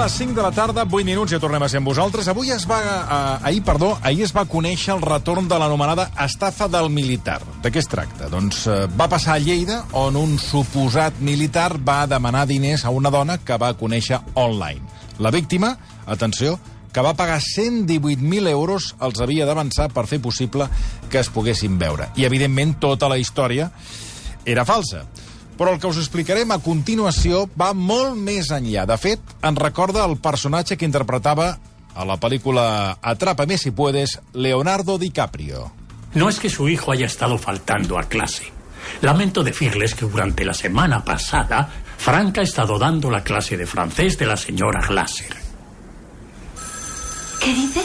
les 5 de la tarda, 8 minuts, ja tornem a ser amb vosaltres. Ahir es va conèixer el retorn de l'anomenada estafa del militar. De què es tracta? Doncs va passar a Lleida, on un suposat militar va demanar diners a una dona que va conèixer online. La víctima, atenció, que va pagar 118.000 euros, els havia d'avançar per fer possible que es poguessin veure. I, evidentment, tota la història era falsa. Però el que us explicarem a continuació va molt més enllà. De fet, ens recorda el personatge que interpretava a la película Atrápame si puedes, Leonardo DiCaprio. No es que su hijo haya estado faltando a clase. Lamento decirles que durante la semana pasada, Frank ha estado dando la clase de francés de la señora Glaser. ¿Qué dice?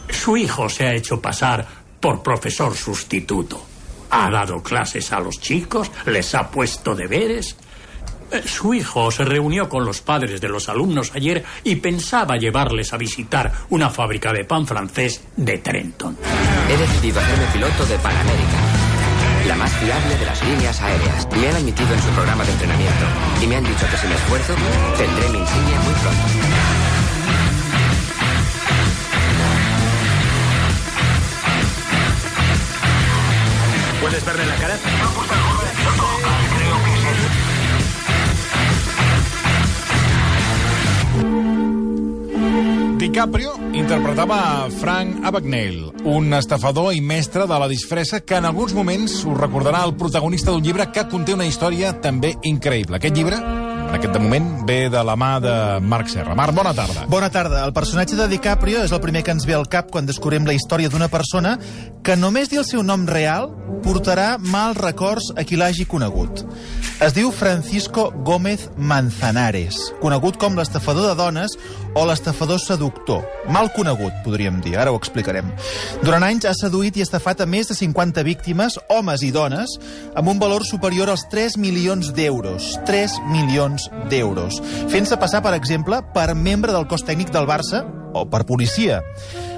Su hijo se ha hecho pasar por profesor sustituto. Ha dado clases a los chicos, les ha puesto deberes. Su hijo se reunió con los padres de los alumnos ayer y pensaba llevarles a visitar una fábrica de pan francés de Trenton. He decidido hacerme piloto de Pan América, la más fiable de las líneas aéreas. Me han admitido en su programa de entrenamiento y me han dicho que si me esfuerzo, tendré mi insignia muy pronto. ¿Puedes verle la cara? DiCaprio interpretava a Frank Abagnale, un estafador i mestre de la disfressa que en alguns moments us recordarà el protagonista d'un llibre que conté una història també increïble. Aquest llibre, de moment, ve de la mà de Marc Serra. Marc, bona tarda. Bona tarda. El personatge de DiCaprio és el primer que ens ve al cap quan descobrim la història d'una persona que només dir el seu nom real portarà mals records a qui l'hagi conegut. Es diu Francisco Gómez Manzanares, conegut com l'estafador de dones o l'estafador seductor. Mal conegut, podríem dir, ara ho explicarem. Durant anys ha seduït i estafat a més de 50 víctimes, homes i dones, amb un valor superior als 3 milions d'euros. 3 milions d'euros. Fent-se passar, per exemple, per membre del cos tècnic del Barça o per policia.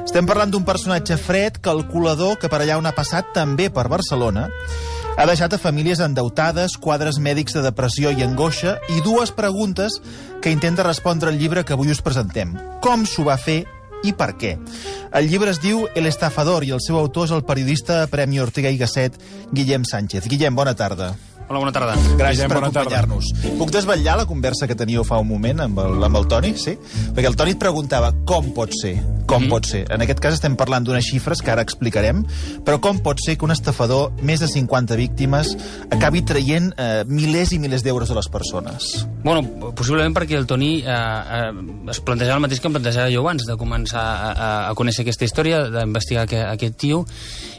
Estem parlant d'un personatge fred, calculador, que per allà on ha passat, també per Barcelona, ha deixat a famílies endeutades, quadres mèdics de depressió i angoixa i dues preguntes que intenta respondre el llibre que avui us presentem. Com s'ho va fer i per què? El llibre es diu El estafador i el seu autor és el periodista Premi Ortega i Gasset, Guillem Sánchez. Guillem, bona tarda. Hola, bona tarda. Gràcies per acompanyar-nos. Puc desvetllar la conversa que teníeu fa un moment amb el Toni? Sí? Perquè el Toni et preguntava com pot ser. Com pot ser? En aquest cas estem parlant d'unes xifres que ara explicarem, però com pot ser que un estafador, més de 50 víctimes, acabi traient milers i milers d'euros a les persones? Bueno, possiblement perquè el Toni es plantejava el mateix que em plantejava jo abans, de començar a conèixer aquesta història, d'investigar aquest tio,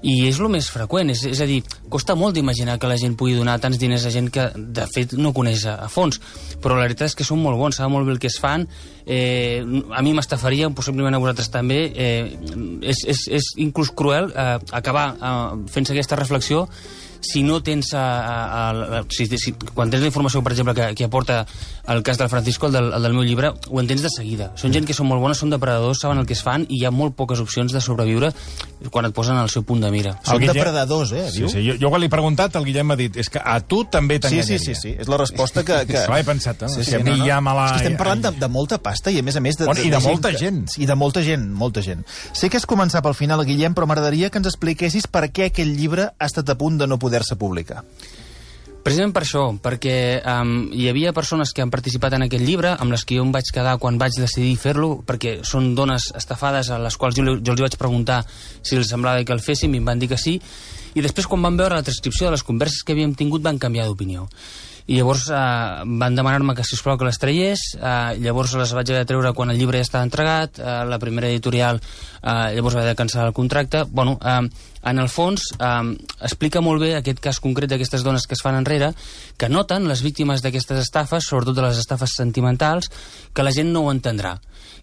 i és el més freqüent. És a dir, costa molt d'imaginar que la gent pugui donar tants diners a gent que, de fet, no coneix a fons. Però la veritat és que són molt bons, saben molt bé el que es fan. A mi m'estafaria, possiblement a vosaltres també. És inclús cruel acabar fent-se aquesta reflexió si no tens quan tens la informació, per exemple, que aporta el cas del Francisco, el del meu llibre, ho entens de seguida. Són gent que són molt bones, són depredadors, saben el que es fan i hi ha molt poques opcions de sobreviure quan et posen al seu punt de mira. Són depredadors, diu? Sí. Jo quan l'he preguntat, el Guillem m'ha dit és que a tu també t'enganyaria. Sí. És la resposta que... Ho he pensat, no? Si a mi ja me la... És que estem parlant de molta pasta i, a més, I de molta gent. I de molta gent. Sé que has començat pel final, Guillem, però m'agradaria que ens expliquessis per què aquell llibre ha estat a punt de no poder-se publicar. Precisament per això, perquè hi havia persones que han participat en aquest llibre, amb les que jo em vaig quedar quan vaig decidir fer-lo, perquè són dones estafades a les quals jo els vaig preguntar si els semblava que el féssim i em van dir que sí, i després quan van veure la transcripció de les converses que havíem tingut van canviar d'opinió. I llavors van demanar-me que, sisplau, que les traiés. Llavors les vaig haver de treure quan el llibre ja estava entregat. La primera editorial llavors va haver de cancel·lar el contracte. Bueno, en el fons explica molt bé aquest cas concret d'aquestes dones que es fan enrere, que noten les víctimes d'aquestes estafes, sobretot de les estafes sentimentals, que la gent no ho entendrà,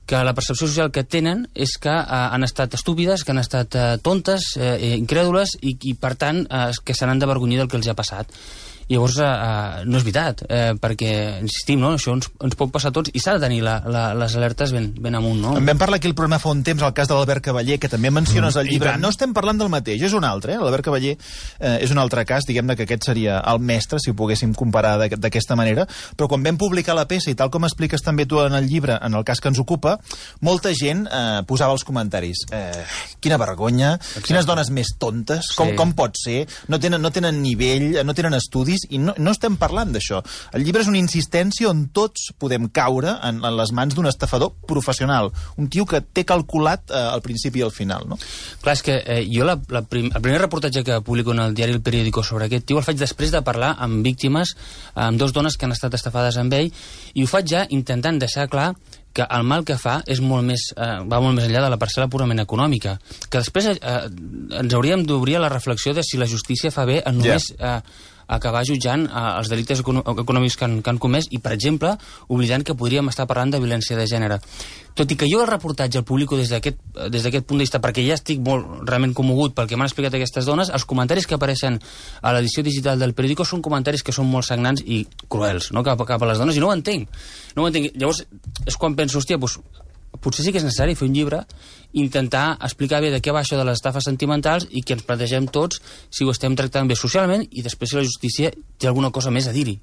que la percepció social que tenen és que han estat estúpides, que han estat tontes, incrèdules i per tant que se n'han d'avergonyir del que els ha passat. I llavors no és veritat, perquè, insistim, no? Això ens pot passar a tots i s'ha de tenir les alertes ben amunt, no? En vam parlar aquí el programa fa un temps, el cas de l'Albert Cavaller, que també menciones al llibre. No estem parlant del mateix, és un altre, l'Albert Cavaller és un altre cas, diguem-ne que aquest seria el mestre, si ho poguéssim comparar d'aquesta manera, però quan vam publicar la peça, i tal com expliques també tu en el llibre, en el cas que ens ocupa, molta gent posava els comentaris. Quina vergonya, quines dones més tontes, com pot ser, no tenen nivell, no tenen estudis, i no estem parlant d'això. El llibre és una insistència on tots podem caure en les mans d'un estafador professional, un tio que té calculat al principi i al final, no? Clar, és que jo el primer reportatge que publico en el diari El Periódico sobre aquest tio el faig després de parlar amb víctimes, amb dos dones que han estat estafades amb ell, i ho faig ja intentant deixar clar que el mal que fa és va molt més enllà de la parcel·la purament econòmica, que després ens hauríem d'obrir a la reflexió de si la justícia fa bé en només acabar jutjant els delictes econòmics que han comès i, per exemple, oblidant que podríem estar parlant de violència de gènere. Tot i que jo el reportatge el publico des d'aquest punt de vista, perquè ja estic molt realment commogut pel que m'han explicat aquestes dones, els comentaris que apareixen a l'edició digital del Periódico són comentaris que són molt sagnants i cruels, no? cap a les dones, i no ho entenc. Llavors, és quan penso, hòstia, potser sí que és necessari fer un llibre, intentar explicar bé de què va això de les estafes sentimentals i que ens plantegem tots si ho estem tractant bé socialment i després si la justícia té alguna cosa més a dir-hi.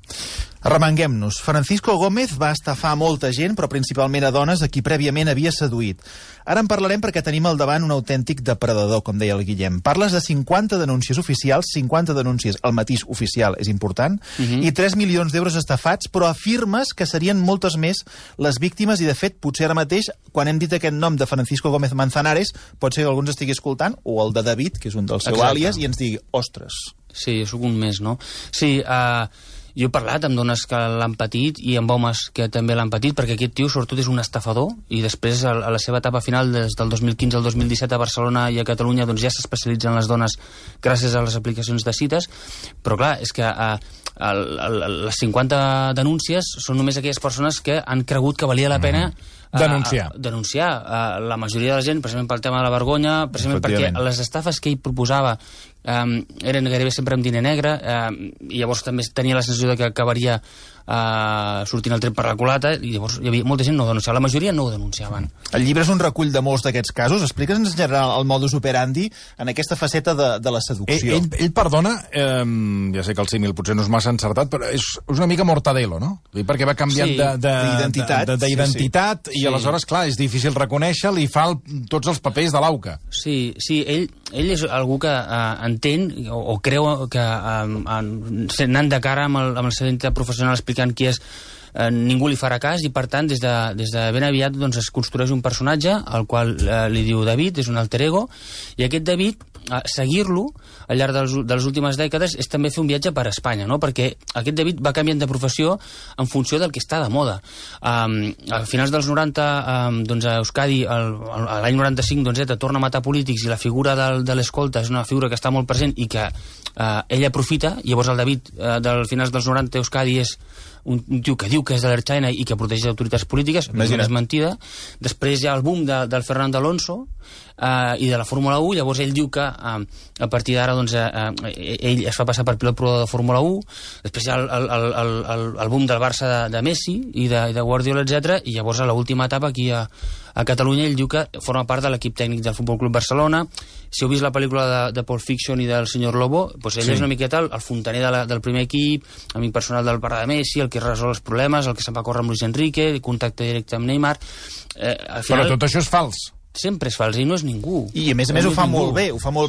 Arremanguem-nos. Francisco Gómez va estafar molta gent, però principalment a dones a qui prèviament havia seduït. Ara en parlarem perquè tenim al davant un autèntic depredador, com deia el Guillem. Parles de 50 denúncies oficials, 50 denúncies, el matís oficial és important, i 3 milions d'euros estafats, però afirmes que serien moltes més les víctimes i, de fet, potser ara mateix, quan hem dit aquest nom de Francisco Gómez Manzanares, pot ser que algú ens estigui escoltant, o el de David, que és un dels seus àlies, i ens digui, ostres. Sí, jo soc un més, no? Sí, jo he parlat amb dones que l'han patit i amb homes que també l'han patit, perquè aquest tio sobretot és un estafador i després a la seva etapa final des del 2015 al 2017 a Barcelona i a Catalunya doncs ja s'especialitzen les dones gràcies a les aplicacions de cites, però clar, és que les 50 denúncies són només aquelles persones que han cregut que valia la pena denunciar. La majoria de la gent, precisament pel tema de la vergonya, precisament perquè les estafes que ell proposava eren gairebé sempre amb diner negre, i llavors també tenia la sensació de que acabaria sortint el tret per la culata, i llavors hi havia molta gent no ho denunciava, la majoria no ho denunciaven. El llibre és un recull de molts d'aquests casos. Explica'ns en general el modus operandi en aquesta faceta de la seducció. Ell perdona, ja sé que el símil potser no és massa encertat, però és una mica Mortadelo, no? Perquè va canviant d'identitat i aleshores, clar, és difícil reconèixer-lo i fa tots els papers de l'auca. Sí, ell és algú que entén o creu que anant de cara amb el seu identitat professional explicant qui és, ningú li farà cas i, per tant, des de ben aviat doncs, es construeix un personatge al qual li diu David, és un alter ego, i aquest David, seguir-lo al llarg de les últimes dècades és també fer un viatge per Espanya, no? Perquè aquest David va canviant de professió en funció del que està de moda. A finals dels 90, doncs a Euskadi, l'any 95, doncs, torna a matar polítics i la figura de l'escolta és una figura que està molt present i que ell aprofita. Llavors el David, del finals dels 90, Euskadi és un tio que diu que és de l'Ertzaina i que protegeix autoritats polítiques, és mentida. Després hi ha el boom del Fernando Alonso i de la Fórmula 1, llavors ell diu que a partir d'ara doncs, ell es fa passar per pilot provador de Fórmula 1, després hi ha el boom del Barça de Messi i de Guardiola, etc. I llavors a l'última etapa aquí a Catalunya ell diu que forma part de l'equip tècnic del Futbol Club Barcelona. Si heu vist la pel·lícula de Pulp Fiction i del Senyor Lobo, doncs ell és una miqueta el fontaner del primer equip, amic personal del pare de Messi, el que resol els problemes, el que se'n va córrer amb Luis Enrique, contacte directe amb Neymar. Però tot això és fals. Sempre és fals, i no és ningú. I a més ho fa molt bé,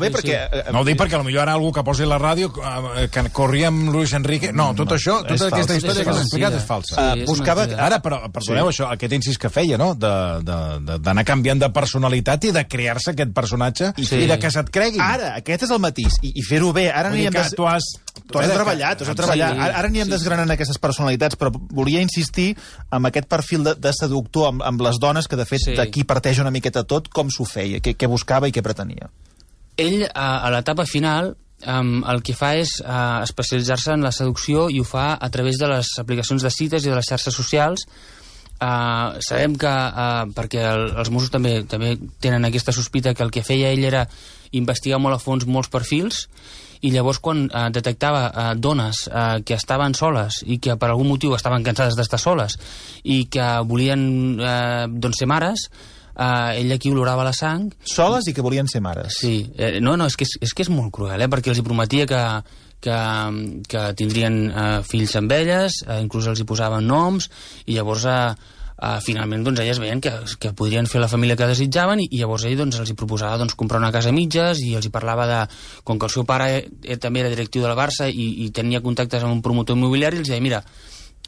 perquè... No ho dic perquè potser ara algú que posi la ràdio que corria amb Luis Enrique... No, tota aquesta història que has explicat és falsa. Buscava... Ara, però, perdoneu, això, aquest incís que feia, no?, d'anar canviant de personalitat i de crear-se aquest personatge i de que se't creguin. Ara, aquest és el matís, i fer-ho bé. Ara anirem... Tu has treballat. Ara anirem desgranant aquestes personalitats, però volia insistir en aquest perfil de seductor amb les dones, que de fet d'aquí parteix una miqueta tot, com s'ho feia, què buscava i què pretenia. Ell, a l'etapa final, el que fa és especialitzar-se en la seducció, i ho fa a través de les aplicacions de cites i de les xarxes socials, sabem que, perquè els Mossos també tenen aquesta sospita, que el que feia ell era investigar molt a fons molts perfils, i llavors quan detectava dones que estaven soles i que per algun motiu estaven cansades d'estar soles i que volien ser mares, ell aquí olorava la sang. Soles i que volien ser mares. Sí, és que és molt cruel, perquè els hi prometia que tindrien fills amb elles, inclús els hi posaven noms, i llavors finalment elles veien que podrien fer la família que desitjaven, i llavors ell els hi proposava comprar una casa a mitges, i els hi parlava de, com que el seu pare també era directiu del Barça i tenia contactes amb un promotor immobiliari, els deia, mira,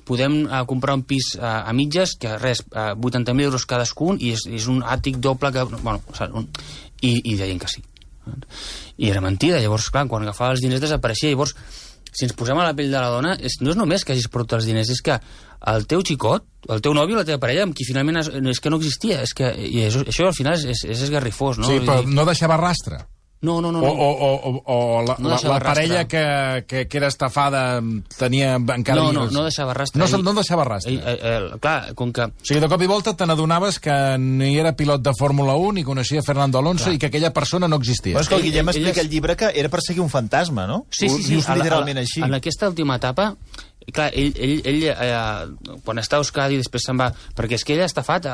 podem comprar un pis a mitges, que res, 80.000 euros cadascun, i és un àtic doble que... Bueno, i deien que sí. I era mentida. Llavors, clar, quan agafava els diners desapareixia. Llavors, si ens posem a la pell de la dona, no és només que hagis perdut els diners, és que el teu xicot, el teu nòvio, la teva parella, amb qui finalment és que no existia. I això al final és esgarrifós, no? Sí, però no deixava rastre. No. O la parella que era estafada tenia encara... No deixava rastre. No deixava rastre. Clar, com que... O sigui, de cop i volta te n'adonaves que ni era pilot de Fórmula 1, ni coneixia Fernando Alonso, i que aquella persona no existia. Però és que el Guillem explica al llibre que era perseguir un fantasma, no? Sí. Literalment així. En aquesta última etapa... Clar, ell quan està a Euskadi després se'n va... Perquè és que ell ha estafat,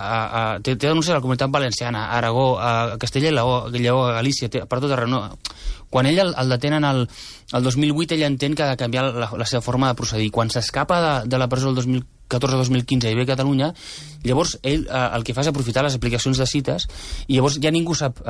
té denúncies a la Comunitat Valenciana, a Aragó, a Castella i Lleó, a Galícia, per tot arreu. No. Quan ell el detenen el 2008, ell entén que ha de canviar la seva forma de procedir. Quan s'escapa de la presó el 2014-2015 i ve a Catalunya, llavors ell el que fa és aprofitar les aplicacions de cites, i llavors ja ningú sap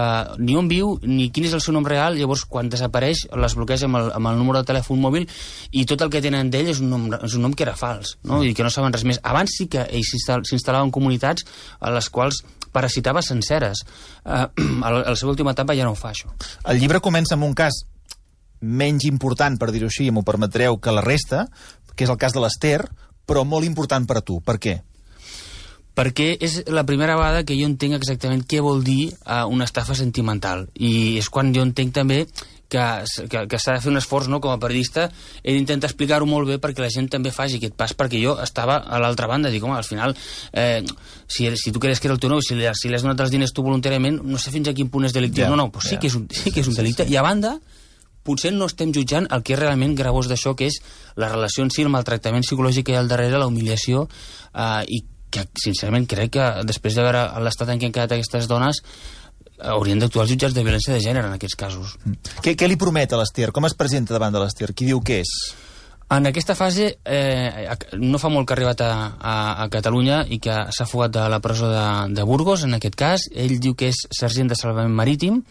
ni on viu ni quin és el seu nom real. Llavors quan desapareix les bloqueja amb el número de telèfon mòbil, i tot el que tenen d'ell és un nom que era fals, no? I que no saben res més. Abans sí que ell s'instal·lava en comunitats a les quals parasitava senceres. A la seva última etapa ja no ho fa, això. El llibre comença amb un cas menys important, per dir-ho així, m'ho permetreu, que la resta, que és el cas de l'Ester, però molt important per a tu. Per què? Perquè és la primera vegada que jo entenc exactament què vol dir una estafa sentimental. I és quan jo entenc també que s'ha de fer un esforç, no? Com a periodista he d'intentar explicar-ho molt bé perquè la gent també faci aquest pas, perquè jo estava a l'altra banda, dic, home, al final si tu creus que era el teu nou, si li has donat els diners tu voluntàriament, no sé fins a quin punt és delictiu. Però sí que és un delicte. I a banda, potser no estem jutjant el que és realment gravós d'això, que és la relació en si, el maltractament psicològic que hi ha al darrere, la humiliació, i que, sincerament, crec que després de veure l'estat en què han quedat aquestes dones, haurien d'actuar els jutjats de violència de gènere en aquests casos. Què li promet a l'Ester? Com es presenta davant de l'Ester? Qui diu què és? En aquesta fase, no fa molt que ha arribat a Catalunya i que s'ha fugat de la presó de Burgos, en aquest cas. Ell diu que és sergent de salvament marítim,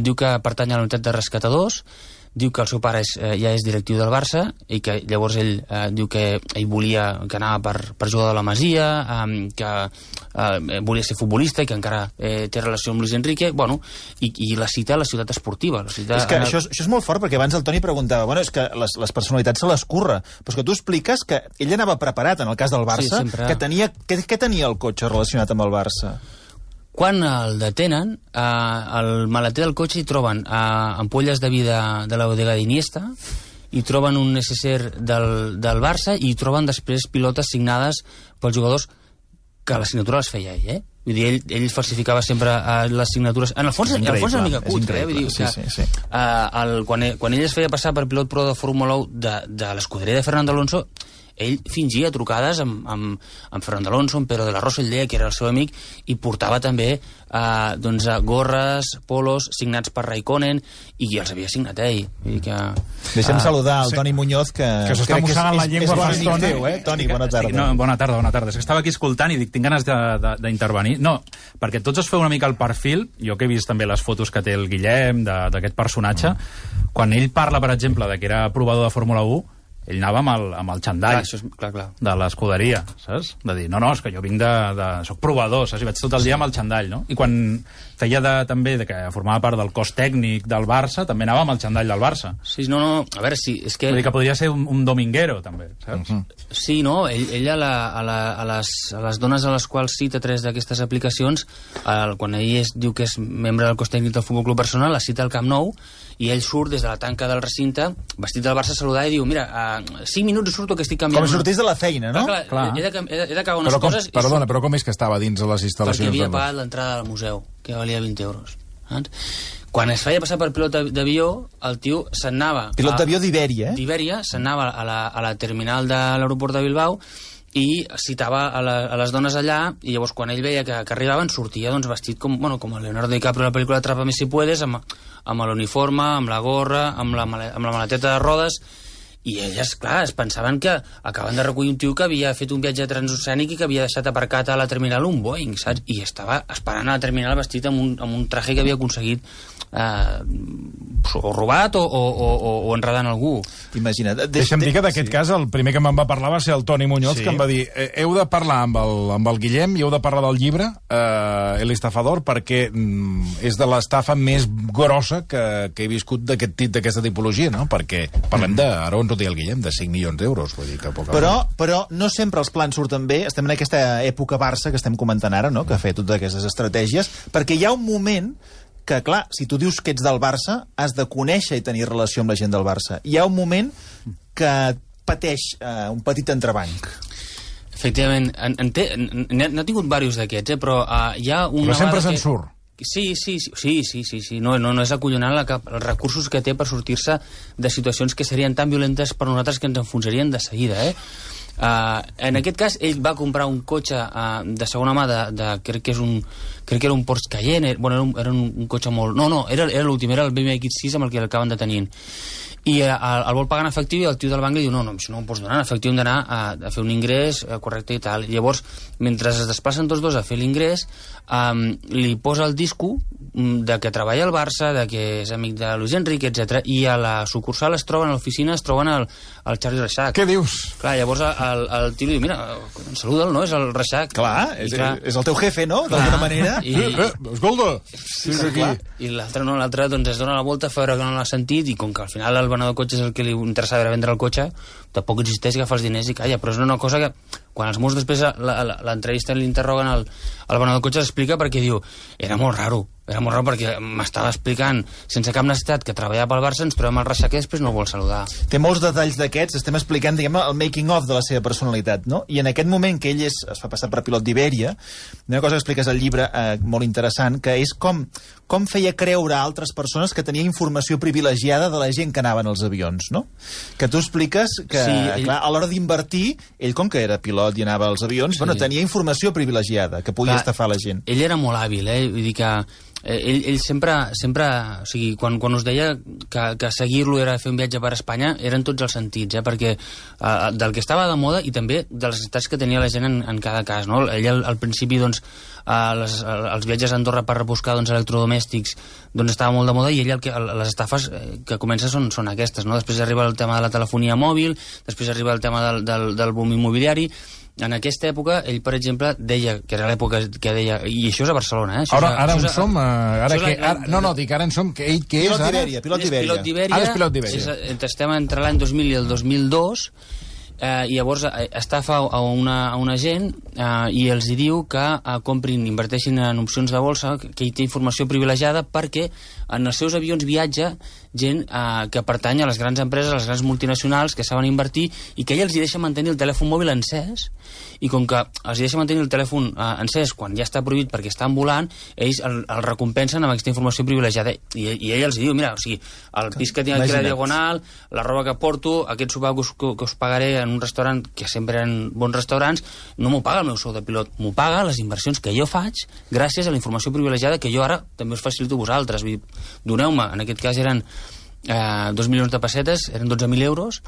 diu que pertany a la unitat de rescatadors, diu que el seu pare ja és directiu del Barça, i que llavors ell diu que ell volia, que anava per jugar de la Masia, que volia ser futbolista i que encara té relació amb Luis Enrique, bueno, i la cita a la ciutat esportiva. És que això és molt fort, perquè abans el Toni preguntava, bueno, és que les personalitats se les curra, però és que tu expliques que ell anava preparat en el cas del Barça, que tenia el cotxe relacionat amb el Barça? Quan el detenen, al maleter del cotxe hi troben ampolles de vi de la bodega d'Iniesta, hi troben un necessaire del Barça, i hi troben després pilotes signades pels jugadors, que la signatura les feia ell, Vull dir, ell falsificava sempre les signatures. En el fons és una mica cutre, Vull dir, sí. Quan ell es feia passar per pilot pro de Fórmula 1 de l'escuderia de Fernando Alonso, ell fingia trucades amb Fernando Alonso, amb Pedro de la Rosa, ell deia que era el seu amic, i portava també gorres, polos signats per Raikkonen, i els havia signat ell. Deixem saludar al Toni Muñoz, que s'està mossegant la llengua fa estona. Toni, bona tarda. Bona tarda. És que estava aquí escoltant i dic, tinc ganes d'intervenir. No, perquè tots es feu una mica el perfil, jo que he vist també les fotos que té el Guillem d'aquest personatge, quan ell parla, per exemple, de que era provador de Fórmula 1, ell anava amb el xandall de l'escuderia, saps? De dir, no, és que jo vinc soc provador, saps? I vaig tot el dia amb el xandall, no? I quan feia també que formava part del cos tècnic del Barça, també anava amb el xandall del Barça. Sí, no, a veure, sí, és que... Vull dir que podria ser un dominguero, també, saps? Sí, no, ell a les dones a les quals cita 3 d'aquestes aplicacions, quan ell diu que és membre del cos tècnic del Futbol Club Barcelona, la cita al Camp Nou, i ell surt des de la tanca del recinte, vestit del Barça, a saludar i diu, mira, 5 minuts i surto que estic canviant... Com si sortís de la feina, no? Clar. He d'acabar unes coses... Perdona, però com és que estava dins de les instal·lacions? Perquè havia pagat l'entrada al museu, que valia 20 euros. Quan es feia passar per pilot d'avió, el tio se'n anava... Pilot d'avió d'Ibèria, D'Ibèria, se'n anava a la terminal de l'aeroport de Bilbao i citava a les dones allà, i llavors quan ell veia que arribaven sortia doncs, vestit com Leonardo DiCaprio a la pel·lícula Atrápame si puedes, amb l'uniforme, amb la gorra, amb la maleteta de rodes, i elles, clar, es pensaven que acaben de recollir un tio que havia fet un viatge transoceànic i que havia deixat aparcat a la terminal un Boeing, saps? I estava esperant a la terminal vestit amb un traje que havia aconseguit o robat o enredant algú. Imagina't. Deixa'm dir que d'aquest cas el primer que me'n va parlar va ser el Toni Muñoz, que em va dir heu de parlar amb el Guillem i heu de parlar del llibre El estafador, perquè és de l'estafa més grossa que he viscut d'aquesta tipologia, no? Perquè parlem de, ara on ho deia el Guillem, de 5 milions d'euros, vull dir que poc. Però no sempre els plans surten bé. Estem en aquesta època Barça que estem comentant ara, no? Que ha fet totes aquestes estratègies, perquè hi ha un moment que, clar, si tu dius que ets del Barça, has de conèixer i tenir relació amb la gent del Barça. Hi ha un moment que pateix un petit entrebanc. Efectivament, n'ha tingut diversos d'aquests, però hi ha una... Però sempre se'n surt. Sí. No és acollonant els recursos que té per sortir-se de situacions que serien tan violentes per nosaltres que ens enfonsarien de seguida, en aquest cas, ell va comprar un cotxe de segona mà crec que era un Porsche Cayenne, era un cotxe molt... No, era l'últim, era el BMW X6 amb el que l'acaben detenint. I el vol pagar en efectiu i el tio del banc li diu no, això no ho pots donar, en efectiu hem d'anar a fer un ingrés correcte i tal. I llavors, mentre es desplacen tots dos a fer l'ingrés, li posa el disco de que treballa al Barça, de que és amic de Luis Enrique, etc. I a la sucursal a l'oficina es troben el Charlie Reixac. Què dius? Clar, llavors el tio li diu, mira, saluda'l, no? És el Reixac. Clar, és el teu jefe, no? D'alguna manera. Escolta! Sí, i l'altre doncs es dona la volta a veure que no l'ha sentit, i com que al final el venedor de cotxes el que li interessava era vendre el cotxe, tampoc insisteix, agafa els diners i calla. Però és una cosa que quan els Mossos després l'entrevista l'interroguen el venedor de cotxes explica perquè diu, era molt raro perquè m'estava explicant sense cap necessitat que treballava pel Barça, ens trobem al Reixac i després no el vol saludar. Té molts detalls d'aquests, estem explicant, diguem, el making of de la seva personalitat, no? I en aquest moment que ell es fa passar per pilot d'Ibèria, una cosa que expliques al llibre molt interessant, que és com feia creure a altres persones que tenia informació privilegiada de la gent que anaven als avions, no? Que tu expliques que, clar, a l'hora d'invertir, ell com que era pilot i anava als avions, tenia informació privilegiada que podia estafar la gent. Ell era molt hàbil, vull dir que ell sempre, o sigui, quan us deia que seguir-lo era fer un viatge per Espanya, eren tots els sentits, perquè del que estava de moda i també de les necessitats que tenia la gent en cada cas, no? Ell al principi, doncs, els viatges a Andorra per rebuscar electrodomèstics doncs estava molt de moda, i ell les estafes que comença són aquestes, no? Després arriba el tema de la telefonia mòbil, després arriba el tema del boom immobiliari. En aquesta època, ell, per exemple, deia, que era l'època que deia, i això és a Barcelona, Ara on som? Dic, ara en som, que ell què és ara? Pilot d'Ibèria. Ara és pilot d'Ibèria. Estem entre l'any 2000 i el 2002, i llavors estafa a una gent i els hi diu que comprin, inverteixin en opcions de bolsa, que hi té informació privilegiada, perquè en els seus avions viatja gent que pertany a les grans empreses, a les grans multinacionals, que saben invertir, i que ell els hi deixa mantenir el telèfon mòbil encès, i com que els hi deixa mantenir el telèfon encès quan ja està prohibit perquè estan volant, ells el recompensen amb aquesta informació privilegiada, i ell els hi diu, mira, o sigui, el pis que tinc aquí a la Diagonal, la roba que porto, aquest sopar que us pagaré en un restaurant, que sempre eren bons restaurants, no m'ho paga el meu sou de pilot, m'ho paga les inversions que jo faig gràcies a la informació privilegiada que jo ara també us facilito a vosaltres. Doneu-me, en aquest cas eren 2 milions de pessetes, eren 12.000 euros,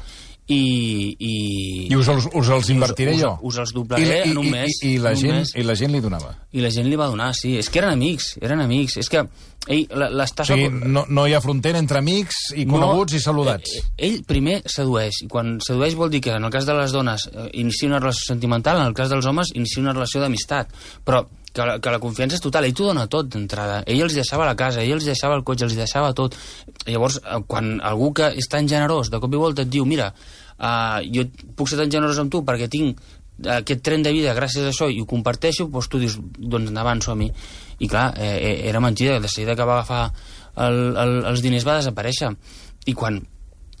i us els invertiré jo. Us els doblaré en un mes. I la gent li donava. I la gent li va donar, sí. És que eren amics. És que l'estafa... O sigui, no hi ha frontera entre amics i coneguts i saludats. Ell primer sedueix, i quan sedueix vol dir que en el cas de les dones inicia una relació sentimental, en el cas dels homes inicia una relació d'amistat, però que la confiança és total. Ell t'ho dona tot d'entrada. Ell els deixava la casa, ell els deixava el cotxe, els deixava tot. Llavors, quan algú que és tan generós de cop i volta et diu, mira, jo puc ser tan generós amb tu perquè tinc aquest tren de vida gràcies a això i ho comparteixo, doncs tu dius, doncs endavant, som-hi. I clar, era mentida. De seguida que va agafar els diners va desaparèixer. I quan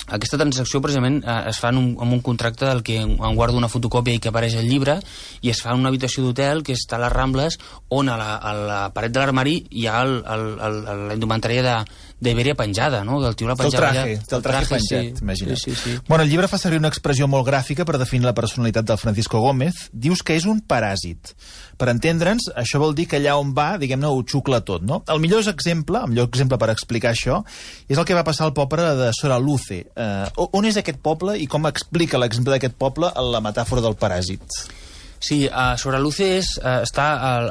aquesta transacció precisament es fa amb un contracte del que en guarda una fotocòpia i que apareix al llibre, i es fa en una habitació d'hotel que està a les Rambles, on a la paret de l'armari hi ha la indumentària d'Iberia penjada, no? Del tio la penjava el traje penjat, imagina't. Sí. Bueno, el llibre fa servir una expressió molt gràfica per definir la personalitat del Francisco Gómez. Dius que és un paràsit. Per entendre'ns, això vol dir que allà on va, diguem-ne, ho xucla tot, no? El millor exemple per explicar això és el que va passar al poble de Soraluce. On és aquest poble i com explica l'exemple d'aquest poble en la metàfora del paràsit? Sí, Soraluce està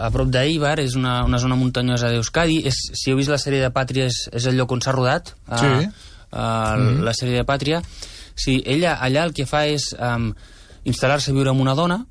a prop d'Eibar, és una zona muntanyosa d'Euskadi. Si heu vist la sèrie de Pàtria, és el lloc on s'ha rodat, la sèrie de Pàtria. Sí, ella allà el que fa és instal·lar-se a viure amb una dona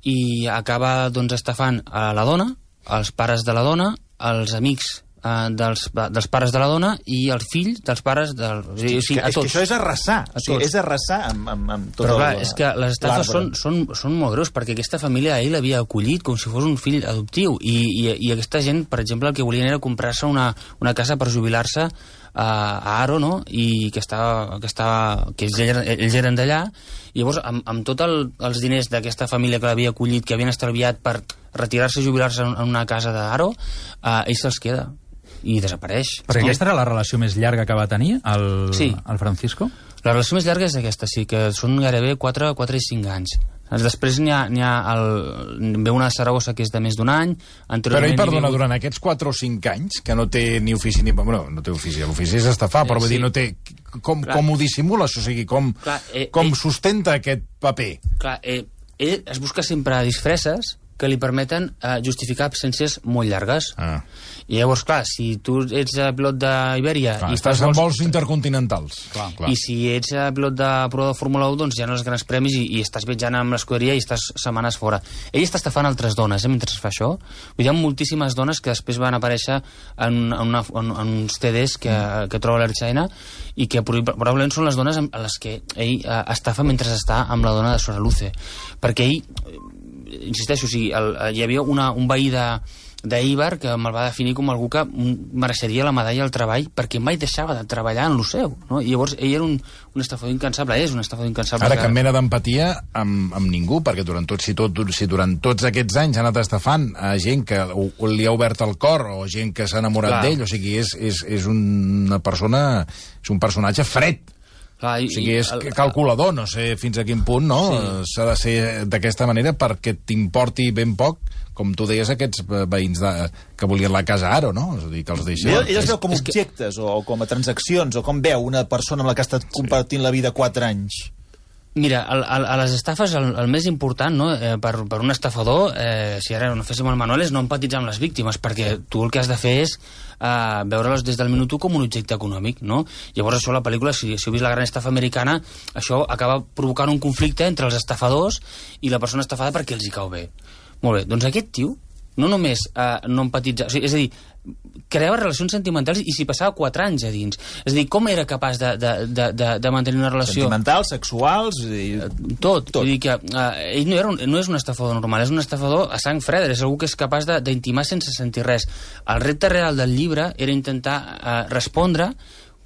i acaba estafant a la dona, els pares de la dona, els amics dels pares de la dona i els fills dels pares a tots. És que això és arrasar. És arrasar amb tot. Però clar, és que les estafes són molt greus, perquè aquesta família a ell l'havia acollit com si fos un fill adoptiu, i aquesta gent, per exemple, el que volien era comprar-se una casa per jubilar-se a Aro, no? I que ells eren d'allà, i llavors amb tots els diners d'aquesta família que l'havia acollit, que havien estalviat per retirar-se i jubilar-se en una casa d'Aro, ell se'ls queda i desapareix. Perquè aquesta era la relació més llarga que va tenir el Francisco? La relació més llarga és aquesta, sí, que són gairebé 4 i 5 anys. Després n'hi ha ve una de Saragossa que és de més d'un any. Però ell, perdona, durant aquests 4 o 5 anys, que no té ni ofici ni... Bueno, no té ofici, l'ofici és estafar, però vull dir, no té... Com ho dissimula, o sigui, com sustenta aquest paper? Clar, ell es busca sempre disfresses que li permeten justificar absències molt llargues. I llavors, clar, si tu ets pilot d'Ibèria... Estàs en vols intercontinentals. Clar. I si ets pilot de prova de Fórmula 1, doncs ja no els grans premis i estàs viatjant amb l'escuderia i estàs setmanes fora. Ell està estafant altres dones, mentre es fa això. Hi ha moltíssimes dones que després van aparèixer en uns CDs que troba l'Ertzaina i que probablement són les dones a les que ell estafa mentre està amb la dona de Soraluce. Perquè ell... insisteixo, hi havia un veí d'Eibar que me'l va definir com algú que mereixeria la medalla al treball perquè mai deixava de treballar en lo seu, no? I llavors ell era un estafador incansable, és un estafador incansable. Ara, cap mena d'empatia amb ningú, perquè si durant tots aquests anys ha anat estafant a gent que li ha obert el cor o gent que s'ha enamorat d'ell, o sigui, és una persona, és un personatge fred. Clar, o sigui, és calculador, no sé fins a quin punt, no? S'ha de ser d'aquesta manera perquè t'importi ben poc, com tu deies, aquests veïns que volien la casa Aro, no? És a dir, que els deixen... Ell els veu com objectes o com a transaccions, o com veu una persona amb la que ha estat compartint la vida 4 anys? Mira, a les estafes el més important, no, per un estafador, si ara no féssim el manual, és no empatitzar amb les víctimes, perquè tu el que has de fer és veure-les des del minut 1 com un objecte econòmic, no? Llavors això, la pel·lícula, si heu vist La gran estafa americana, això acaba provocant un conflicte entre els estafadors i la persona estafada perquè els hi cau bé. Molt bé, doncs aquest tio no només no empatitza... O sigui, és a dir, creava relacions sentimentals i s'hi passava 4 anys a dins. És a dir, com era capaç de mantenir una relació... Sentimentals, sexuals... Tot. Vull dir que ell no és un estafador normal, és un estafador a sang freda, és algú que és capaç d'intimar sense sentir res. El repte real del llibre era intentar respondre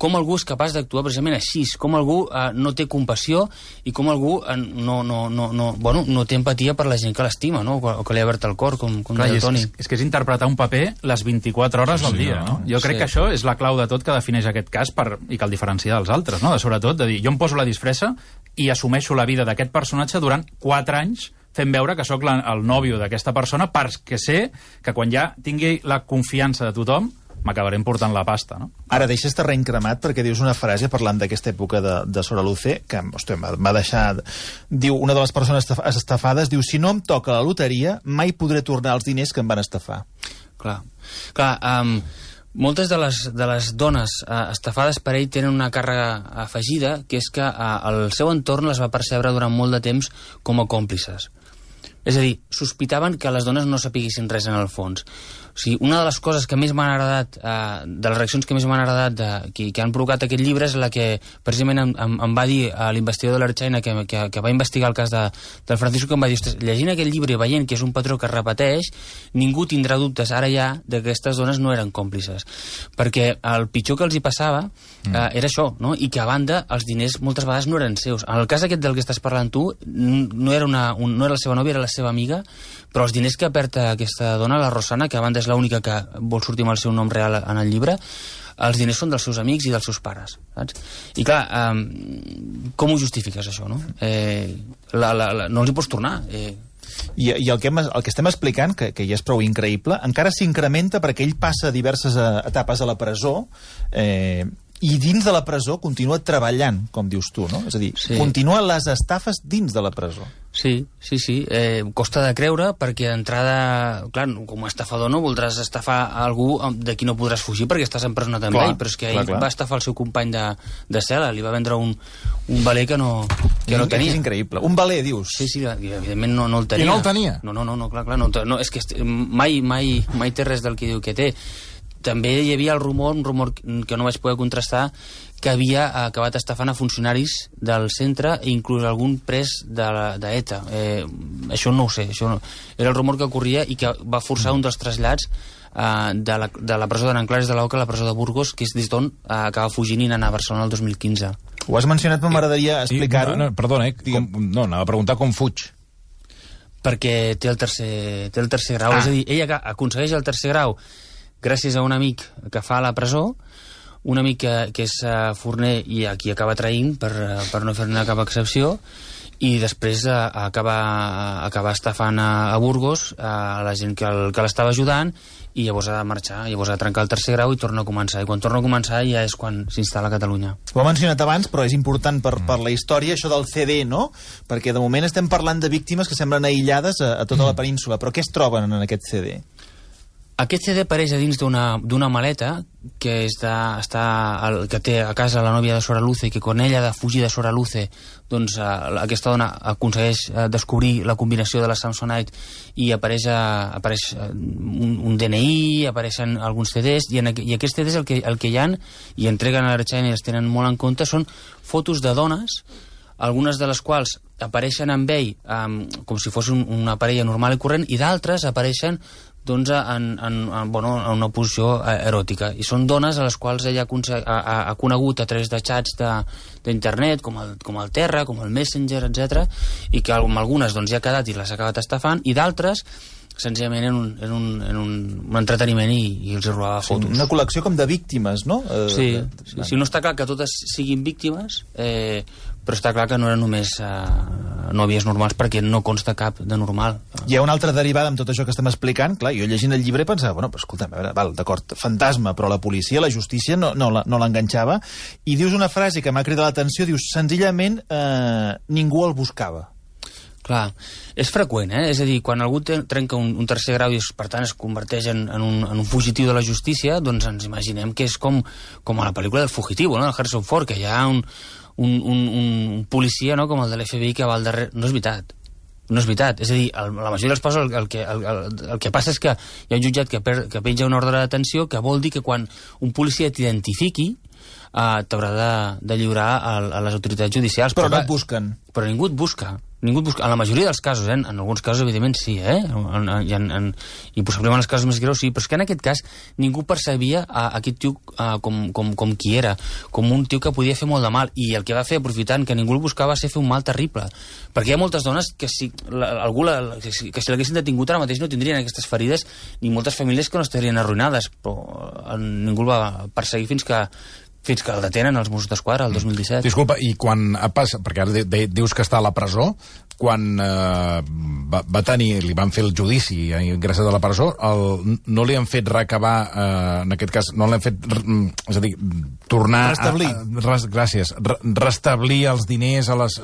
com algú és capaç d'actuar precisament així, com algú no té compassió i com algú no té empatia per la gent que l'estima, no? O que li ha obert el cor, com deia el Toni. És que és interpretar un paper les 24 hores del dia, no? Jo crec que això és la clau de tot que defineix aquest cas i que el diferencia dels altres, no? Sobretot, de dir, jo em poso la disfressa i assumeixo la vida d'aquest personatge durant 4 anys fent veure que sóc el nòvio d'aquesta persona perquè sé que quan ja tingui la confiança de tothom m'acabarem portant la pasta, no? Ara, deixes terreny cremat perquè dius una frase parlant d'aquesta època de Soraluce que m'ha deixat... Diu, una de les persones estafades diu, si no em toca la loteria, mai podré tornar els diners que em van estafar. Clar, moltes de les dones estafades per ell tenen una càrrega afegida, que és que el seu entorn les va percebre durant molt de temps com a còmplices. És a dir, sospitaven que les dones no sapiguessin res en el fons. sigui, una de les coses que més m'han agradat, de les reaccions que més m'han agradat que han provocat aquest llibre és la que precisament em va dir l'investigador de l'Ertzaina que va investigar el cas del Francisco, que em va dir, ostres, llegint aquest llibre i veient que és un patró que es repeteix, ningú tindrà dubtes ara ja que aquestes dones no eren còmplices. Perquè el pitjor que els hi passava era això, no? I que a banda els diners moltes vegades no eren seus. En el cas aquest del que estàs parlant tu, no era la seva nòvia, era la seva amiga, però els diners que perd aquesta dona, la Rosana, que a banda és l'única que vol sortir amb el seu nom real en el llibre, els diners són dels seus amics i dels seus pares, saps? I clar, com ho justifiques, això, no? No els hi pots tornar. I el que estem explicant, que ja és prou increïble, encara s'incrementa perquè ell passa diverses etapes a la presó i dins de la presó continua treballant, com dius tu, no? És a dir, continua les estafes dins de la presó. Sí. Costa de creure, perquè d'entrada, clar, com a estafador no voldràs estafar algú de qui no podràs fugir perquè estàs empresonat amb ell, però és que ell va estafar el seu company de cel·la, li va vendre un valer que no tenia. És increïble. Un valer, dius? Sí, evidentment no el tenia. I no el tenia? No, clar, no, és que mai té res del que diu que té. També hi havia un rumor que no vaig poder contrastar, que havia acabat estafant a funcionaris del centre i inclús algun pres d'ETA. Això no ho sé. Era el rumor que corria i que va forçar un dels trasllats de la presó de Nanclares de l'Oca a la presó de Burgos, que és des d'on acaba fugint i anar a Barcelona el 2015. Ho has mencionat, però m'agradaria explicar-ho. Perdona, anava a preguntar com fuig. Perquè té el tercer grau. És a dir, ell aconsegueix el tercer grau gràcies a un amic que fa a la presó, un amic que és forner i a qui acaba traint per no fer-ne cap excepció, i després acaba estafant a Burgos a la gent que l'estava ajudant, i llavors ha de marxar, llavors ha de trencar el tercer grau i torna a començar. I quan torna a començar ja és quan s'instal·la a Catalunya. Ho he mencionat abans, però és important per la història, això del CD, no? Perquè de moment estem parlant de víctimes que semblen aïllades a tota la península, però què es troben en aquest CD? Aquest CD apareix a dins d'una maleta que que té a casa la nòvia de Soraluce, i que quan ella ha de fugir de Soraluce, doncs aquesta dona aconsegueix descobrir la combinació de la Samsonite i apareix un DNI, apareixen alguns CDs, i aquests CDs el que hi ha, i entreguen a l'Ertzaina i els tenen molt en compte, són fotos de dones, algunes de les quals apareixen amb ell com si fos una parella normal i corrent, i d'altres apareixen en una posició eròtica, i són dones a les quals ella ha conegut a través de xats d'internet, com el Terra, com el Messenger, etc., i que amb algunes ja ha quedat i les ha acabat estafant, i d'altres senzillament en un entreteniment i els robava fotos. Una col·lecció com de víctimes, no? Sí, no està clar que totes siguin víctimes, però està clar que no eren només nòvies normals, perquè no consta cap de normal. Hi ha una altra derivada amb tot això que estem explicant. Clar, jo llegint el llibre pensava, bueno, però escolta'm, d'acord, fantasma, però la policia, la justícia no l'enganxava, i dius una frase que m'ha cridat l'atenció, dius, senzillament ningú el buscava. Clar, és freqüent, És a dir, quan algú trenca un tercer grau i per tant es converteix en un fugitiu de la justícia, doncs ens imaginem que és com a la pel·lícula del Fugitivo, no?, del Harrison Ford, que hi ha un policia, no?, com el de l'FBI que va al darrere. No és veritat. No és veritat. És a dir, la majoria dels casos el que passa és que hi ha un jutjat que penja una ordre de detenció, que vol dir que quan un policia t'identifiqui t'haurà de lliurar a les autoritats judicials. Però no et busquen. Però ningú et busca. En la majoria dels casos, en alguns casos evidentment sí, i possiblement en els casos més greus sí, però és que en aquest cas ningú percebia aquest tio com qui era, com un tio que podia fer molt de mal, i el que va fer, aprofitant que ningú el buscava, va ser fer un mal terrible, perquè hi ha moltes dones que si l'haguessin detingut ara mateix no tindrien aquestes ferides, ni moltes famílies que no estarien arruïnades, però ningú el va perseguir fins que el detenen els Mossos d'Esquadra el 2017. Disculpa, i quan passa, perquè ara dius que està a la presó, quan va tenir, li van fer el judici ingressat a la presó, no li han fet recabar, en aquest cas, no l'han fet, és a dir, tornar restablir. Restablir els diners a les...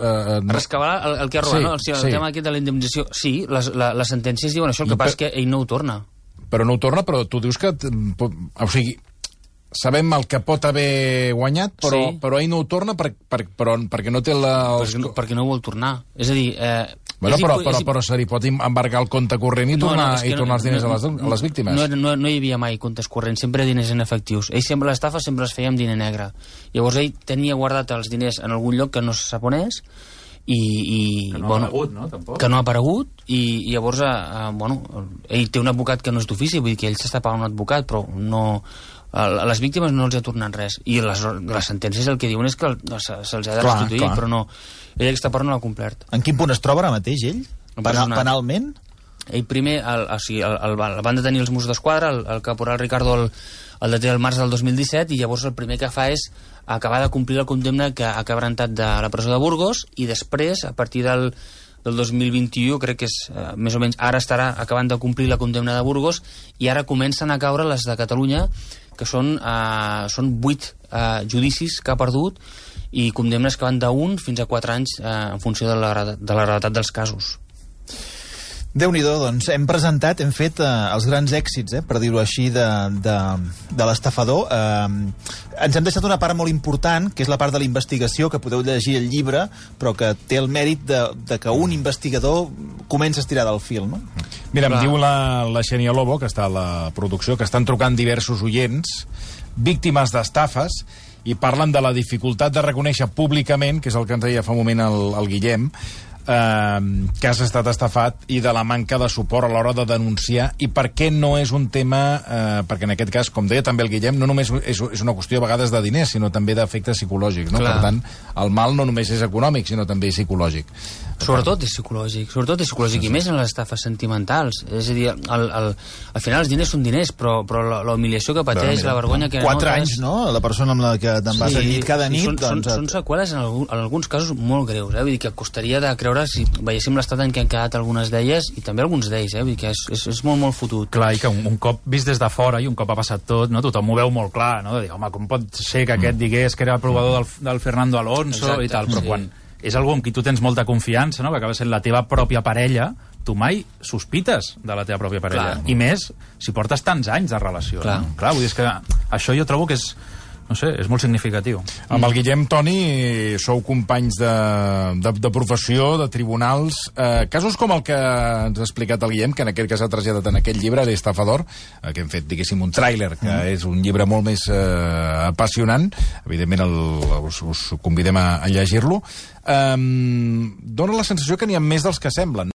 Rescabar el que ha robat, no? El tema aquest de la indemnització. Sí, les sentències diuen això, el que passa és que ell no ho torna. Però no ho torna, però tu dius que... O sigui, sabem el que pot haver guanyat, però ell no ho torna perquè no té la... Perquè no vol tornar. És a dir, Bueno, però se li pot embargar el compte corrent i tornar els diners a les víctimes. No hi havia mai comptes corrents, sempre diners en efectius. Ell sempre l'estafa sempre es feia amb diner negre. Llavors ell tenia guardat els diners en algun lloc que no se sap on és, i que no ha aparegut, no? Tampoc. Que no ha aparegut, i llavors ell té un advocat que no és d'ofici, vull dir que ell s'està pagant un advocat, però no, a les víctimes no els ha tornat res, i les sentències el que diuen és que se'ls ha de restituir, però no, ell aquesta part no l'ha complert. En quin punt es troba ara mateix ell? Penalment? Ell primer el van detenir els Mossos d'Esquadra, el caporal Ricardo el deté el març del 2017, i llavors el primer que fa és acabar de complir la condemna que ha quebrantat de la presó de Burgos, i després, a partir del 2021, crec que és més o menys, ara estarà acabant de complir la condemna de Burgos, i ara comencen a caure les de Catalunya, que són 8 judicis que ha perdut, i condemnes que van d'1 fins a 4 anys en funció de la gravetat dels casos. Déu-n'hi-do, doncs hem presentat, hem fet els grans èxits, per dir-ho així, de l'estafador. Ens hem deixat una part molt important, que és la part de la investigació, que podeu llegir el llibre, però que té el mèrit de que un investigador comença a estirar del fil, no? Mira, em diu la Xènia Lobo, que està a la producció, que estan trucant diversos oients, víctimes d'estafes, i parlen de la dificultat de reconèixer públicament, que és el que ens deia fa un moment el Guillem, que has estat estafat, i de la manca de suport a l'hora de denunciar, i per què no és un tema, perquè en aquest cas, com deia també el Guillem, no només és una qüestió a vegades de diners, sinó també d'efectes psicològics, no? Per tant, el mal no només és econòmic, sinó també psicològic. Sobretot és psicològic, i més en les estafes sentimentals. És a dir, al final els diners són diners, però la humiliació que pateix, la vergonya que 4 anys, no? La persona amb la que te'n vas a llit cada nit... Són seqüeles en alguns casos molt greus, vull dir que costaria de creure si veiéssim l'estat en què han quedat algunes d'elles, i també alguns d'ells, vull dir que és molt, molt fotut. Clar, i que un cop vist des de fora, i un cop ha passat tot, no? Tothom ho veu molt clar, no? De dir, home, com pot ser que aquest digués que era provador del Fernando Alonso. Exacte, i tal, però quan és algú amb qui tu tens molta confiança, no? Que acaba sent la teva pròpia parella, tu mai sospites de la teva pròpia parella. Clar. I més si portes tants anys de relació. Clar. No? Clar, vull dir, és que això jo trobo que és, no sé, és molt significatiu. Amb el Guillem, Toni, sou companys de professió, de tribunals. Casos com el que ens ha explicat el Guillem, que en aquest cas ha traslladat en aquest llibre, l'Estafador, que hem fet, diguéssim, un tràiler, que és un llibre molt més apassionant. Evidentment, us convidem a llegir-lo. Dóna la sensació que n'hi ha més dels que semblen.